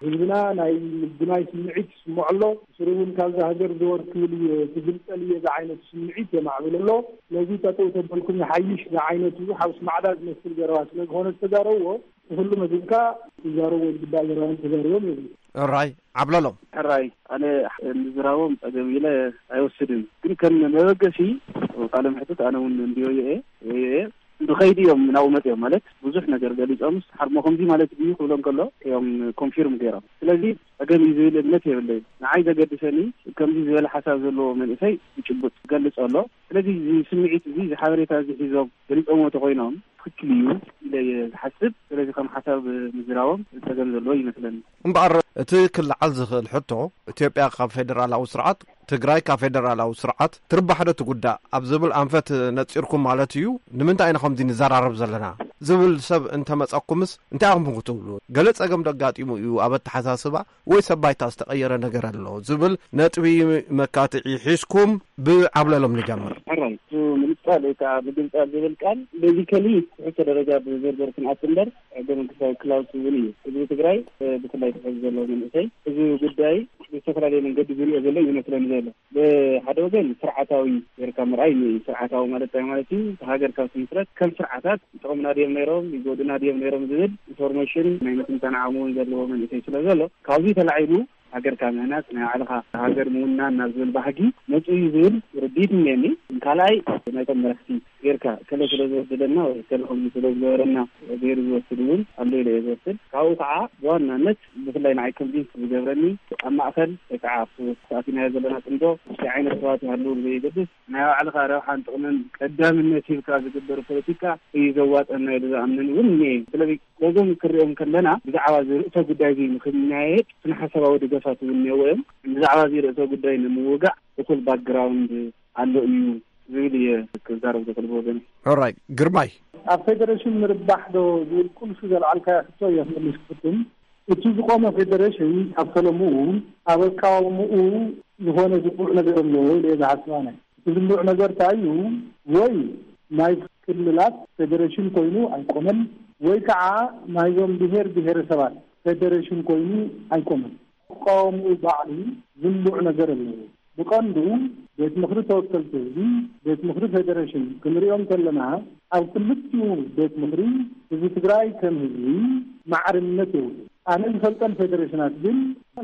ህዝብና ናይ ምጉናይ ስምዒት ይስምዖ ኣሎ። ብስሩ እውን ካብዛ ሃገር ዘወር ክብል እየ፣ ክግልጸል እየ ዝዓይነቱ ስምዒት የማዕብል ኣሎ። ስለዚ ጠጠው ተበልኩም ይሓይሽ ዝዓይነቱ ሓውስ ማዕዳ ዝመስል ዘረባ ስለ ዝኾነ ዝተዛረብዎ፣ ንኹሉ መዚንካ ክዛረቡ ዝግባእ ዘረባን ተዛሪቦም እዮም። ሕራይ ዓብለሎም። ሕራይ ኣነ ምዝራቦም ጸገም ኢለ ኣይወስድን፣ ግን ከም መበገሲ ቃለ መሕትት ኣነ እውን እንድዮ እየ እየ ንኸይዲ እዮም ናብኡ መፅኦም ማለት ብዙሕ ነገር ገሊፆምስ ሓርሞ ከምዚ ማለት ድዩ ክብሎ እንከሎ እዮም ኮንፊርም ገይሮም። ስለዚ ጸገም እዩ ዝብል እምነት የብለይን። ንዓይ ዘገድሰኒ ከምዚ ዝበለ ሓሳብ ዘለዎ መንእሰይ ብጭቡጥ ገልጾ ኣሎ። ስለዚ እዚ ስምዒት እዚ፣ እዚ ሓበሬታ እዚ ሒዞም ገሊጾምዎ ተኾይኖም ትኽክል እዩ ኢለ እየ ዝሓስብ። ስለዚ ከም ሓሳብ ምዝራቦም ጸገም ዘለዎ ይመስለኒ። እምበኣር እቲ ክለዓል ዝኽእል ሕቶ፣ ኢትዮጵያ ካብ ፌደራላዊ ስርዓት፣ ትግራይ ካብ ፌደራላዊ ስርዓት ትርባሕ ዶ ትጉዳእ ኣብ ዝብል ኣንፈት ነጺርኩም ማለት እዩ። ንምንታይ ኢና ከምዚ ንዘራረብ ዘለና ዝብል ሰብ እንተመጸኩምስ እንታይ ኢኹም ክትብሉ? ገለ ጸገም ዶ ኣጋጢሙ እዩ ኣብ ኣተሓሳስባ ወይ ሰብ ባይታ ዝተቐየረ ነገር ኣሎ ዝብል ነጥቢ መካትዒ ሒዝኩም ብዓብለሎም ንጀምር። ሕራይ፣ እሱ ምልክት ቃል ወይ ከዓ ምግንፃል ዝብል ቃል ቤዚካሊ ትሕተ ደረጃ ብዝርዝር ክንኣት እምበር ሕገ መንግስታዊ ክላውስ እውን እዩ። ህዝቢ ትግራይ ብፍላይ ትሕዚ ዘለዎ መንእሰይ እዚ ጉዳይ ብዝተፈላለየ መንገዲ ዝሪኦ ዘሎ ይመስለኒ ዘሎ። ብሓደ ወገን ስርዓታዊ ጌርካ ምርኣይ እዩ። ስርዓታዊ ማለት እንታይ ማለት እዩ? ሃገር ካብ ትምስረት ከም ስርዓታት ይጠቕሙና ድዮም ነይሮም፣ ይጎዱና ድዮም ነይሮም ዝብል ኢንፎርሜሽን ናይ ምትንታን ዓቕሚ እውን ዘለዎ መንእሰይ ስለ ዘሎ ካብዚ ተላዒሉ ሃገርካ ምህናፅ ናይ ባዕልኻ ሃገር ምውናን ናብ ዝብል ባህጊ መፁ እዩ ዝብል ርድኢት እኒአኒ። ካልኣይ ናይቶም መራሕቲ ጌርካ ከለ ስለ ዝወደደና ወይ ከለ ከምዚ ስለ ዝገበረና ገይሩ ዝወስድ እውን ኣሎ ኢለ እየ ዝወስድ። ካብኡ ከዓ ብዋናነት ብፍላይ ንዓይ ኮንቪንስ ዝገብረኒ ኣብ ማእኸል ወይ ከዓ ኣብቲ ተኣቲናዮ ዘለና ፅምዶ እንታይ ዓይነት ሰባት ይሃልው ብዘየገድስ ናይ ባዕልኻ ረብሓን ጥቕምን ቀዳምነት ሂብካ ዝግበር ፖለቲካ እዩ ዘዋፀና ኢሉ ዝኣምን እውን እኒአ። ስለዚ ነዞም ክሪኦም ከለና ብዛዕባ እዚ ርእሰ ጉዳይ እዚ ንክናየድ ስነ ሓሳባዊ ደገፋት እውን እኒአዎ እዮም። ብዛዕባ እዚ ርእሰ ጉዳይ ንምውጋእ እኹል ባክግራውንድ ኣሎ እዩ ዝብል እየ ክዛረብ ዝኽእል ብወገነይ። ኦራይ ግርማይ። ኣብ ፌደሬሽን ምርባሕ ዶ ዝብል ቁልፊ ዘልዓልካዮ ሕቶ እየ ክምልስ ክፍትን። እቲ ዝቆመ ፌደሬሽን ካብ ፈለምኡ ኣብ ኣቃውምኡ ዝኾነ ዝቡዕ ነገር ኣለዎ ኢለ እየ ዝሓስብ ኣነ። እቲ ዝቡዕ ነገር እንታይ እዩ? ወይ ናይ ክልላት ፌደሬሽን ኮይኑ ኣይቆመን፣ ወይ ከዓ ናይዞም ብሄር ብሄረሰባት ፌደሬሽን ኮይኑ ኣይቆመን። ክቃወምኡ ባዕሉ ዝንቡዕ ነገር ኣለዎ። ብቐንዱ ቤት ምኽሪ ተወከልቲ ህዝቢ፣ ቤት ምኽሪ ፌደሬሽን ክንሪኦም ከለና ኣብ ክልቲኡ ቤት ምኽሪ ህዝቢ ትግራይ ከም ህዝቢ ማዕርነት የብሉ። ኣነ ዝፈልጠን ፌደሬሽናት ግን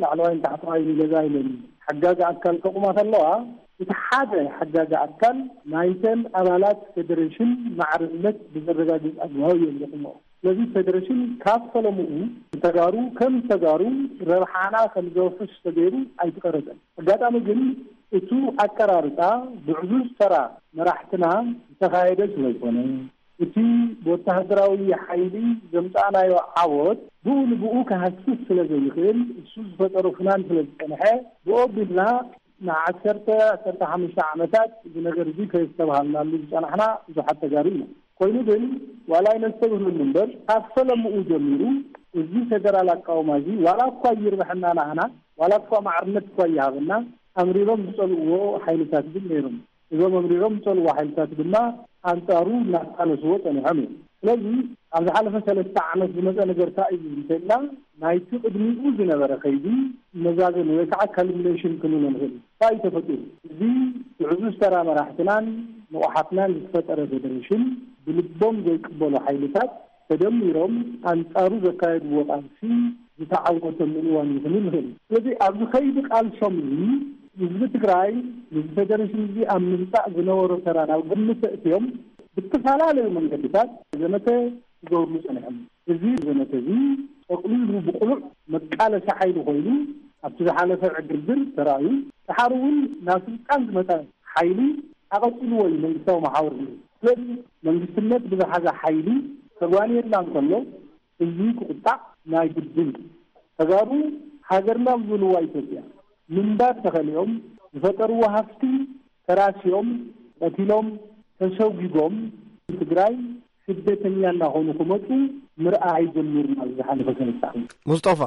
ላዕለዋይን ታሕተዋይን ገዛ ኢለን ሓጋጊ ኣካል ከቑማ ከለዋ እቲ ሓደ ሓጋጊ ኣካል ናይተን ኣባላት ፌደሬሽን ማዕርነት ብዘረጋግፅ ኣግባብ እዮም ዘቑምኦ። ስለዚ ፌደሬሽን ካብ ፈለምኡ ንተጋሩ ከም ተጋሩ ረብሓና ከም ዘውሕስ ተገይሩ ኣይተቐረፀን። ኣጋጣሚ ግን እቱ ኣቀራርፃ ብዕዙዝ ተራ መራሕትና ዝተኻየደ ስለዝኾነ እቲ ብወተሃደራዊ ሓይሊ ዘምፃእናዮ ዓወት ብኡ ንብኡ ክሃስስ ስለ ዘይኽእል እሱ ዝፈጠሮ ፍናን ስለ ዝፀንሐ ብኦ ቢልና ንዓሰርተ ዓሰርተ ሓሙሽተ ዓመታት እዚ ነገር እዚ ከየስተብሃልናሉ ዝፀናሕና ብዙሓት ተጋሩ ኢና። ኮይኑ ግን ዋላ ኣይነስተብህለሉ እምበር ካብ ፈለምኡ ጀሚሩ እዚ ፌደራል ኣቃውማ እዚ ዋላ እኳ ይርብሐና ናህና ዋላ እኳ ማዕርነት እኳ ይሃበና ኣምሪሮም ዝፀልእዎ ሓይልታት ግን ነይሮም። እዞም ኣምሪሮም ዝፀልእዎ ሓይልታት ድማ ኣንፃሩ እናቃለስዎ ፀኒሖም እዮም። ስለዚ ኣብ ዝሓለፈ ሰለስተ ዓመት ዝመፀ ነገር እንታይ እዩ እንተልና ናይቲ ቅድሚኡ ዝነበረ ከይዲ መዛዘሚ ወይ ከዓ ካልሚኔሽን ክንብሎ ንኽእል እዩ። እንታይ እዩ ተፈጢሩ? እዚ ብዕዙዝ ተራ መራሕትናን ንቑሓትናን ዝተፈጠረ ፌደሬሽን ብልቦም ዘይቅበሉ ሓይልታት ተደሚሮም ኣንፃሩ ዘካየድዎ ቃልሲ ዝተዓወተ ምንዋን እዩ ክንብል ንኽእል። ስለዚ ኣብዚ ከይዲ ቃልሶም እዚ ህዝቢ ትግራይ ንዚ ፌደሬሽን እዚ ኣብ ምምፃእ ዝነበሮ ተራ ናብ ግምት ኣእትዮም ብተፈላለዩ መንገድታት ዘመተ ክገብርሉ ፀኒሖም። እዚ ዘመተ እዚ ጠቕሊሉ ብቕሉዕ መቃለሲ ሓይሊ ኮይኑ ኣብቲ ዝሓለፈ ዕግርግር ተራእዩ። ደሓር እውን ናብ ስልጣን ዝመፀ ሓይሊ ኣቐፂልዎ እዩ መንግስታዊ መሓውር ነይሩ። ስለዚ መንግስትነት ብዝሓዘ ሓይሊ ተጓንየልና እንከሎ ህዝቢ ክቁጣዕ ናይ ግድን እዩ። ተጋሩ ሃገርና ዝብልዋ ኢትዮጵያ ምንባር ተኸሊኦም ዝፈጠርዎ ሃፍቲ ተራሲዮም ቀቲሎም ተሰጒጎም ትግራይ ስደተኛ እናኾኑ ክመፁ ምርኣይ ጀሚርና ኣብዚ ዝሓለፈ ሰለስተ ዓመት። ሙስጦፋ።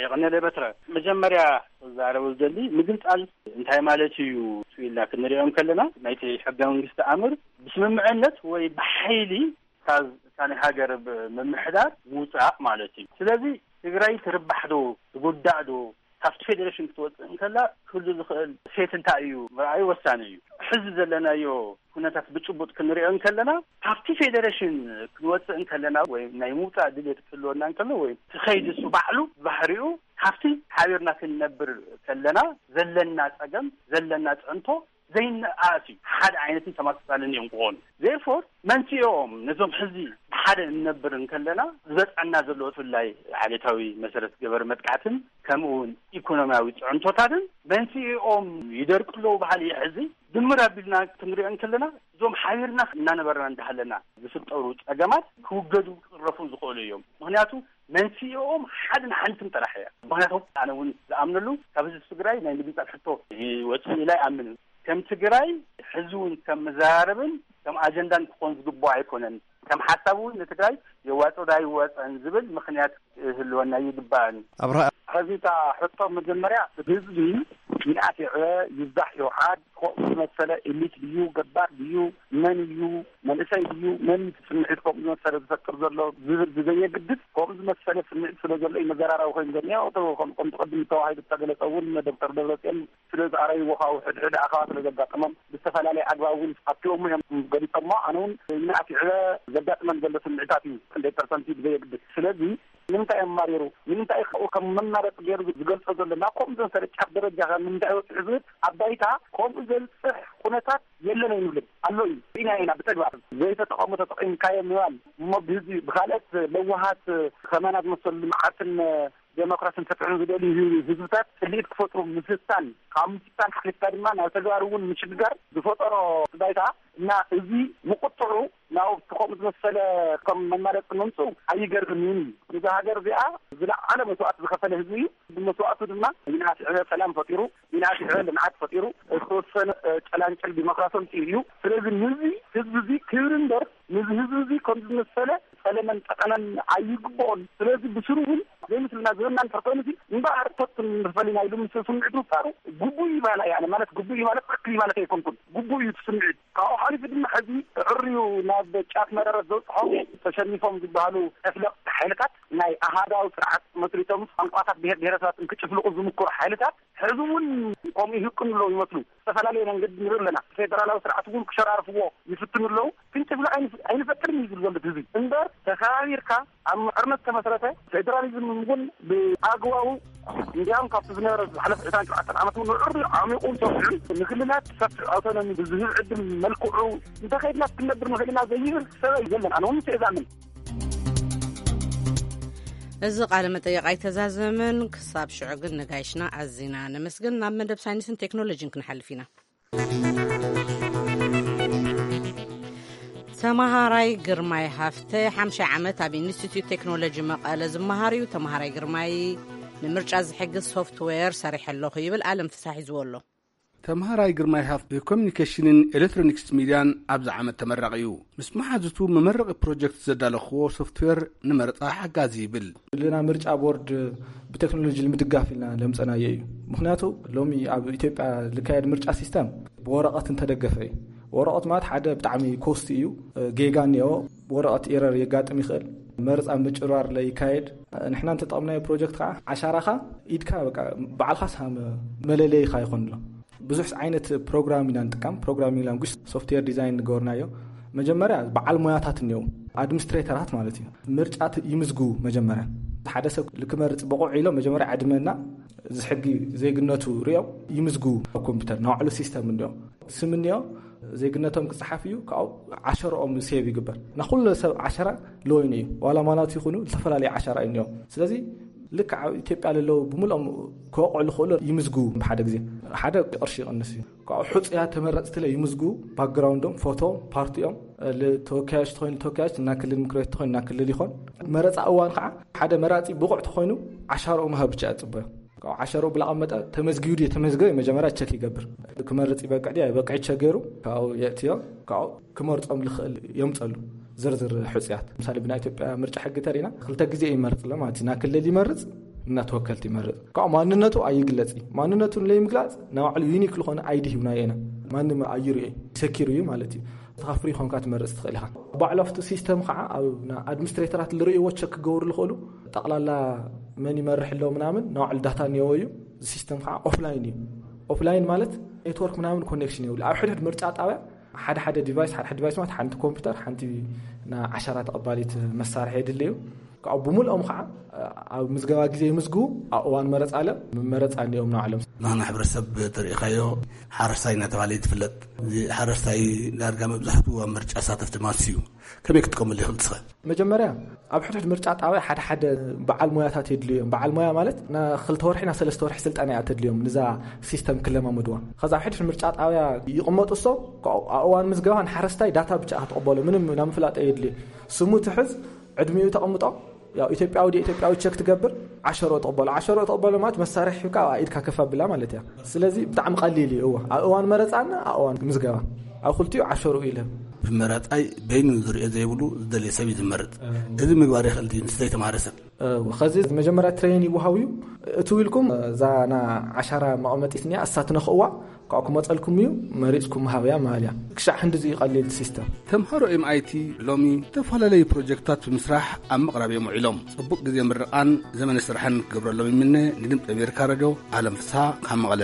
የቐነለ በትረ። መጀመርያ ክዛረብ ዝደሊ ምግንፃል እንታይ ማለት እዩ ኢልና ክንሪኦም ከለና ናይቲ ሕገ መንግስቲ ኣምር ብስምምዕነት ወይ ብሓይሊ ካብ እታ ናይ ሃገር ብ-፣ ምምሕዳር ምውፃእ ማለት እዩ። ስለዚ ትግራይ ትርባሕ ዶ ትጉዳእ ዶ ካብቲ ፌዴሬሽን ክትወፅእ እንከላ ክህሉ ዝኽእል ሴት እንታይ እዩ ምርኣዩ ወሳኒ እዩ። ሕዚ ዘለናዮ ኩነታት ብጭቡጥ ክንሪኦ እንከለና ካብቲ ፌዴሬሽን ክንወፅእ እንከለና ወይ ናይ ምውፃእ ድሌት ክህልወና እንከሎ ወይ እቲ ከይዲ እሱ ባዕሉ ባህሪኡ ካብቲ ሓቢርና ክንነብር ከለና ዘለና ፀገም ዘለና ፅዕንቶ ዘይነኣኣስ እዩ። ሓደ ዓይነትን ተመሳሳልን እዮም ክኾኑ። Therefore መንስኤኦም ነዞም ሕዚ ብሓደ እንነብር እንከለና ዝበፅዐና ዘሎ ብፍላይ ዓሌታዊ መሰረት ገበር መጥቃዕትን ከምኡ እውን ኢኮኖሚያዊ ፅዕንቶታትን መንስኤኦም ይደርቁ ኣለዉ በሃሊ እየ። ሕዚ ድምር ኣቢልና ክንሪኦ እንከለና እዞም ሓቢርና እናነበርና እንዳሃለና ዝፍጠሩ ፀገማት ክውገዱ ክፅረፉ ዝኽእሉ እዮም። ምክንያቱ መንስኤኦም ሓድን ሓንትን ጥራሕ እያ። ምክንያቱ ኣነ እውን ዝኣምነሉ ካብ ህዝቢ ትግራይ ናይ ምግንፃል ሕቶ ይወፅእ ኢላ ይኣምን። ከም ትግራይ ሕዚ እውን ከም መዘራረብን ከም ኣጀንዳን ክኾን ዝግብኦ ኣይኮነን። ከም ሓሳብ እውን ንትግራይ የዋፅኦ ዶ ኣይዋፅኦን ዝብል ምክንያት ክህልወና ይግባእን። ኣብርሃ። ሕዚ እታ ሕቶ መጀመርያ ህዝቢ ይንኣስ ይዕበ ይብዛሕ ይውሓድ፣ ከምኡ ዝመሰለ ኤሊት ድዩ፣ ገባር ድዩ፣ መን እዩ፣ መንእሰይ ድዩ፣ መን እዩ እቲ ስምዒት ከምኡ ዝመሰለ ዝፈጥር ዘሎ ዝብል ብዘየግድስ፣ ከምኡ ዝመሰለ ስምዒት ስለ ዘሎ እዩ መዘራረቢ ኮይኑ ዘሎ። ከምኡ ከም ቅድም ተዋሂዱ ዝተገለጸ እውን ዶክተር ደብረጽዮን ስለ ዝኣረይዎ፣ ካብኡ ሕድሕድ ኣኸባ ስለ ዘጋጠሞም ብዝተፈላለየ ኣግባብ እውን ኣብቲኦሞ እዮም ገሊጾሞ። ኣነ እውን ይንኣስ ይዕበ ዘጋጥመን ዘሎ ስምዒታት እዩ ክንደይ ፐርሰንት እዩ ብዘየግድስ። ስለዚ ንምንታይ እዮም ማሪሩ? ንምንታይ ካብኡ ከም መማረፂ ገይሩ ዝገልጾ ዘሎ? ናብ ከምኡ ዝመሰለ ጫፍ ደረጃ ከ ንምንታይ ወፅሑ ዝብል ኣብ ባይታ ከምኡ ዘብፅሕ ኩነታት የለን ኣይንብልን። ኣሎ እዩ። ርኢና ኢና ብተግባር። ዘይተጠቐሙ ተጠቒምካዮ ምባል እሞ ብህዝቢ ብካልኦት ለዋሃት ከማና ዝመሰሉ ልምዓትን ዴሞክራሲን ፍትሕን ዝደልዩ ህዝብታት ስልኢት ክፈጥሩ ምፍታን፣ ካብ ምፍታን ሓሊፍካ ድማ ናብ ተግባር እውን ምሽግጋር ዝፈጠሮ ባይታ እና እዚ ምቁጥዑ ናብ ከምኡ ዝመሰለ ከም መማረፂ ምምፅኡ ኣይገርምን እዩ። እዛ ሃገር እዚኣ ዝለዓለ መስዋእቲ ዝኸፈለ ህዝቢ እዩ። ብመስዋእቱ ድማ ይንኣስ ይዕበ ሰላም ፈጢሩ፣ ይንኣስ ይዕበ ልምዓት ፈጢሩ፣ ዝተወሰነ ጨላንጨል ዲሞክራሲ ኣምፂኡ እዩ። ስለዚ ንዚ ህዝቢ እዚ ክብሪ እምበር፣ ንዚ ህዝቢ እዚ ከም ዝመሰለ ጸለመን ጠቐነን ኣይግብኦን። ስለዚ ብስሩ እውን ዘይምስልና ዝበና እንድሕር ኮይኑ፣ እምበኣር ተቱን ፈሊና ኢሉ ምስ ስምዒት ምፍጣሩ ግቡእ እዩ ባላ እየ። ኣነ ማለት ግቡእ እዩ ማለት ትኽክል እዩ ማለት ኣይኮንኩን። ግቡእ እዩ እቲ ስምዒት። ካብኡ ሓሊፉ ድማ ሕዚ ዕርዩ ናብ ጫፍ መረረት ዘብፅሖ ተሸኒፎም ዝበሃሉ ተፍለቕቲ ሓይልታት፣ ናይ ኣሃዳዊ ስርዓት መስሪቶም ቋንቋታት ብሄር ብሄረሰባት እንክጭፍልቑ ዝምክሩ ሓይልታት ሕዚ እውን ከምኡ ይህቅኑ ኣለዉ ይመስሉ። ዝተፈላለየ መንገዲ ንርኢ ኣለና። ፌደራላዊ ስርዓት እውን ክሸራርፍዎ ይፍትኑ ኣለዉ። ክንጭፍልቕ ኣይንፍ-፣ ኣይንፈቅድን እዩ ዝብል ዘሎ ህዝቢ። እምበር ተኸባቢርካ ኣብ ምዕርነት ተመስረተ ፌደራሊዝም እውን ብኣግባቡ እንዲያውም ካብቲ ዝነበረ ዝሓለፈ ዕስራን ሸውዓተን ዓመት እውን ንዕሪ ዓሚቑ ሰፊዑ ንክልላት ሰፊሕ ኣውቶኖሚ ብዝህብ ዕድል መልክዑ እንተኸይድና ክንነብር ንኽእል ኢና ዘይብል ሰብ የለን። ኣነ እውን ምስ እዛምን እዚ ቃለ መጠይቕ ኣይተዛዘመን። ክሳብ ሽዑ ግን ነጋይሽና ኣዚና ነመስግን። ናብ መደብ ሳይንስን ቴክኖሎጂን ክንሓልፍ ኢና። ተመሃራይ ግርማይ ሃፍተ ሓምሻይ ዓመት ኣብ ኢንስቲትዩት ቴክኖሎጂ መቐለ ዝመሃር እዩ። ተመሃራይ ግርማይ ንምርጫ ዝሕግዝ ሶፍትዌር ሰሪሐ ኣለኹ ይብል። ኣለም ፍሳሕ ሒዝዎ ኣሎ። ተምሃራይ ግርማይ ሃፍተ ብኮሚኒኬሽንን ኤሌክትሮኒክስ ሚድያን ኣብዚ ዓመት ተመራቒ እዩ። ምስ መሓዙቱ መመረቒ ፕሮጀክት ዘዳለኽዎ ሶፍትዌር ንመረፃ ሓጋዚ ይብል። ዘለና ምርጫ ቦርድ ብቴክኖሎጂ ንምድጋፍ ኢልና ለምፀናዮ እዩ። ምክንያቱ ሎሚ ኣብ ኢትዮጵያ ዝካየድ ምርጫ ሲስተም ብወረቐት እንተደገፈ እዩ። ወረቐት ማለት ሓደ ብጣዕሚ ኮስት እዩ፣ ጌጋ እኒኦ፣ ወረቐት ኤረር የጋጥም ይኽእል። መረፃ ምጭርባር ለይካየድ። ንሕና እንተጠቕምናዮ ፕሮጀክት ከዓ ዓሻራኻ ኢድካ በቃ ባዕልኻ ሳም መለለይኻ ይኾን ኣሎ። ብዙሕ ዓይነት ፕሮግራም ኢና ንጥቀም። ፕሮግራሚንግ ላንጉጅ ሶፍትዌር ዲዛይን ንገበርናዮ። መጀመርያ በዓል ሞያታት እኒው ኣድሚኒስትሬተራት ማለት እዩ። ምርጫ ይምዝግቡ መጀመርያ። ሓደ ሰብ ልክመርፅ ብቑዕ ኢሎ መጀመርያ ዕድመና ዝሕጊ ዜግነቱ ሪኦም ይምዝግቡ። ኣብ ኮምፒውተር ናባዕሉ ሲስተም እንዲኦም ስም እንዲኦም ዜግነቶም ክፅሓፍ እዩ። ካብኡ ዓሸረኦም ሴቭ ይግበር። ናኩሉ ሰብ ዓሸራ ለወይኑ እዩ። ዋላ ማናቱ ይኹኑ ዝተፈላለዩ ዓሸራ እዩ እኒኦም። ስለዚ ልክዕ ኣብ ኢትዮጵያ ለለዉ ብምልኦም ክወቕዑ ዝኽእሉ ይምዝግቡ። ብሓደ ግዜ ሓደ ቅርሺ ይቕንስ እዩ። ካብኡ ሕፁያት ተመረፅቲ ለ ይምዝግቡ። ባክግራውንዶም፣ ፎቶ፣ ፓርቲኦም፣ ተወካዮች ተኮይኑ ተወካዮች እና ክልል ምክር ቤት ተኮይኑ እና ክልል ይኾን። መረፃ እዋን ከዓ ሓደ መራፂ ብቑዕ ተኮይኑ ዓሻርኡ ምሃብ ብቻ እያ ፅቡያ። ካብኡ ዓሻርኡ ብላቐመጠ ተመዝጊቡ ድዩ ተመዝገበ መጀመርያ ቸክ ይገብር። ክመርፅ ይበቅዕ ድዩ ኣይበቅዕ ቸክ ገይሩ ካብኡ የእትዮ። ካብኡ ክመርፆም ዝኽእል የምፀሉ ዝርዝር ሕፁያት። ምሳሌ ብናይ ኢትዮጵያ ምርጫ ሕጊ ተሪና ክልተ ግዜ ይመርፅ ኣሎ ማለት እዩ። እና ክልል ይመርፅ እና ተወከልቲ ይመርፅ። ካብኡ ማንነቱ ኣይግለፅ እዩ። ማንነቱ ንለይምግላፅ ናይ ባዕሉ ዩኒክ ዝኾነ ኣይዲ ሂብናዮ ኢና። ማንም ኣይርዮ ሰኪሩ እዩ ማለት እዩ። ተኻፍሪ ይኾንካ ትመርፅ ትኽእል ኢኻ። ባዕሉ ኣብቲ ሲስተም ከዓ ኣብ ና ኣድሚኒስትሬተራት ዝርእይዎ ቸክ ክገብሩ ዝኽእሉ ጠቕላላ መን ይመርሕ ኣሎ ምናምን ናይ ባዕሉ ዳታ እኒኦ እዩ። እዚ ሲስተም ከዓ ኦፍላይን እዩ። ኦፍላይን ማለት ኔትወርክ ምናምን ኮኔክሽን የብሉ። ኣብ ሕድሕድ ምርጫ ጣብያ ሓደ ሓደ ዲቫይስ ሓደ ሓደ ዲቫይስ ማለት ሓንቲ ኮምፒውተር ሓንቲ ና ዓሻራ ተቐባሊት መሳርሒ የድሊ እዩ። ካብኡ ብምልኦም ከዓ ኣብ ምዝገባ ግዜ ይምዝግቡ። ኣብ እዋን መረፃ ለ መመረፃ እኒኦም ንባዕሎም። ናና ሕብረተሰብ ተሪኢኻዮ ሓረስታይ እናተባሃለ እዩ ዝፍለጥ። እዚ ሓረስታይ ዳርጋ መብዛሕትኡ ኣብ ምርጫ ሳተፍ ድማ እዩ። ከመይ ክትጥቀመሉ ይኽእል ትስኸ? መጀመርያ ኣብ ሕድሕድ ምርጫ ጣብያ ሓደ ሓደ በዓል ሞያታት የድልዩ እዮም። በዓል ሞያ ማለት ና ክልተ ወርሒ ና ሰለስተ ወርሒ ስልጠና እያ ተድልዮም ንዛ ሲስተም ክለማመድዋ። ከዛ ኣብ ሕድሕድ ምርጫ ጣብያ ይቕመጡ እሶም። ኣብ እዋን ምዝገባ ንሓረስታይ ዳታ ብቻ ክትቕበሎ ምንም ናብ ምፍላጥ የድልዩ። ስሙ ትሕዝ ዕድሚኡ ተቐምጦ። ያው ኢትዮጵያዊ ድዩ ኢትዮጵያዊ ቸክ ትገብር። ዓሸሮ ተቐበሎ። ዓሸሮ ተቐበሎ ማለት መሳርሒ ሂብካ ኣብ ኢድካ ከፍ ኣብላ ማለት እያ። ስለዚ ብጣዕሚ ቀሊል እዩ። እዋ ኣብ እዋን መረፃና ኣብ እዋን ምዝገባ ኣብ ክልቲኡ ዓሸሮ እዩ ለብ። ብመራፃይ በይኑ ዝሪኦ ዘይብሉ ዝደልየ ሰብ እዩ ዝመርፅ። እዚ ምግባር ይኽእል ድዩ ምስ ዘይተማሃረ ሰብ? ከዚ መጀመርያ ትሬን ይወሃው እዩ። እትው ኢልኩም እዛ ና ዓሻራ መቐመጢት እኒኣ እሳ ትነኽእዋ፣ ካብኡ ክመፀልኩም እዩ፣ መሪፅኩም ሃብያ ማለት እያ። ክሻዕ ህንዲ እዚ ቀሊል ሲስተም። ተምሃሮ M I T ሎሚ ዝተፈላለዩ ፕሮጀክትታት ብምስራሕ ኣብ ምቕራብ እዮም ውዒሎም። ጽቡቕ ግዜ ምርቓን ዘመነ ስራሕን ክገብረሎም ይምነ። ንድምፂ ኣሜሪካ ሬድዮ ኣለም ፍስሓ ካብ መቐለ።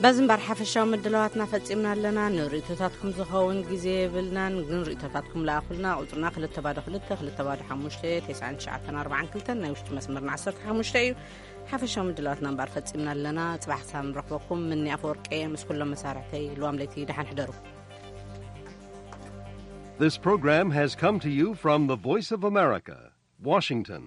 በዚ እምበር ሓፈሻዊ ምድላዋትና ፈጺምና ኣለና። ንርእይቶታትኩም ዝኸውን ግዜ የብልናን፣ ግን ርእይቶታትኩም ለኣኹልና። ቁጽርና ክልተ ባዶ ክልተ፣ ክልተ ባዶ ሓሙሽተ፣ ተስዓን ትሽዓተን ኣርባዓን ክልተን፣ ናይ ውሽጢ መስመርና ዓሰርተ ሓሙሽተ እዩ። ሓፈሻዊ ምድላዋትና እምበር ፈጺምና ኣለና። ጽባሕ ክሳብ ንረኽበኩም፣ ምኒ ኣፈወርቂ ምስ ኩሎም መሳርሕተይ፣ ልዋም ለይቲ ደሓን ሕደሩ። This program has come to you from the Voice of America, Washington.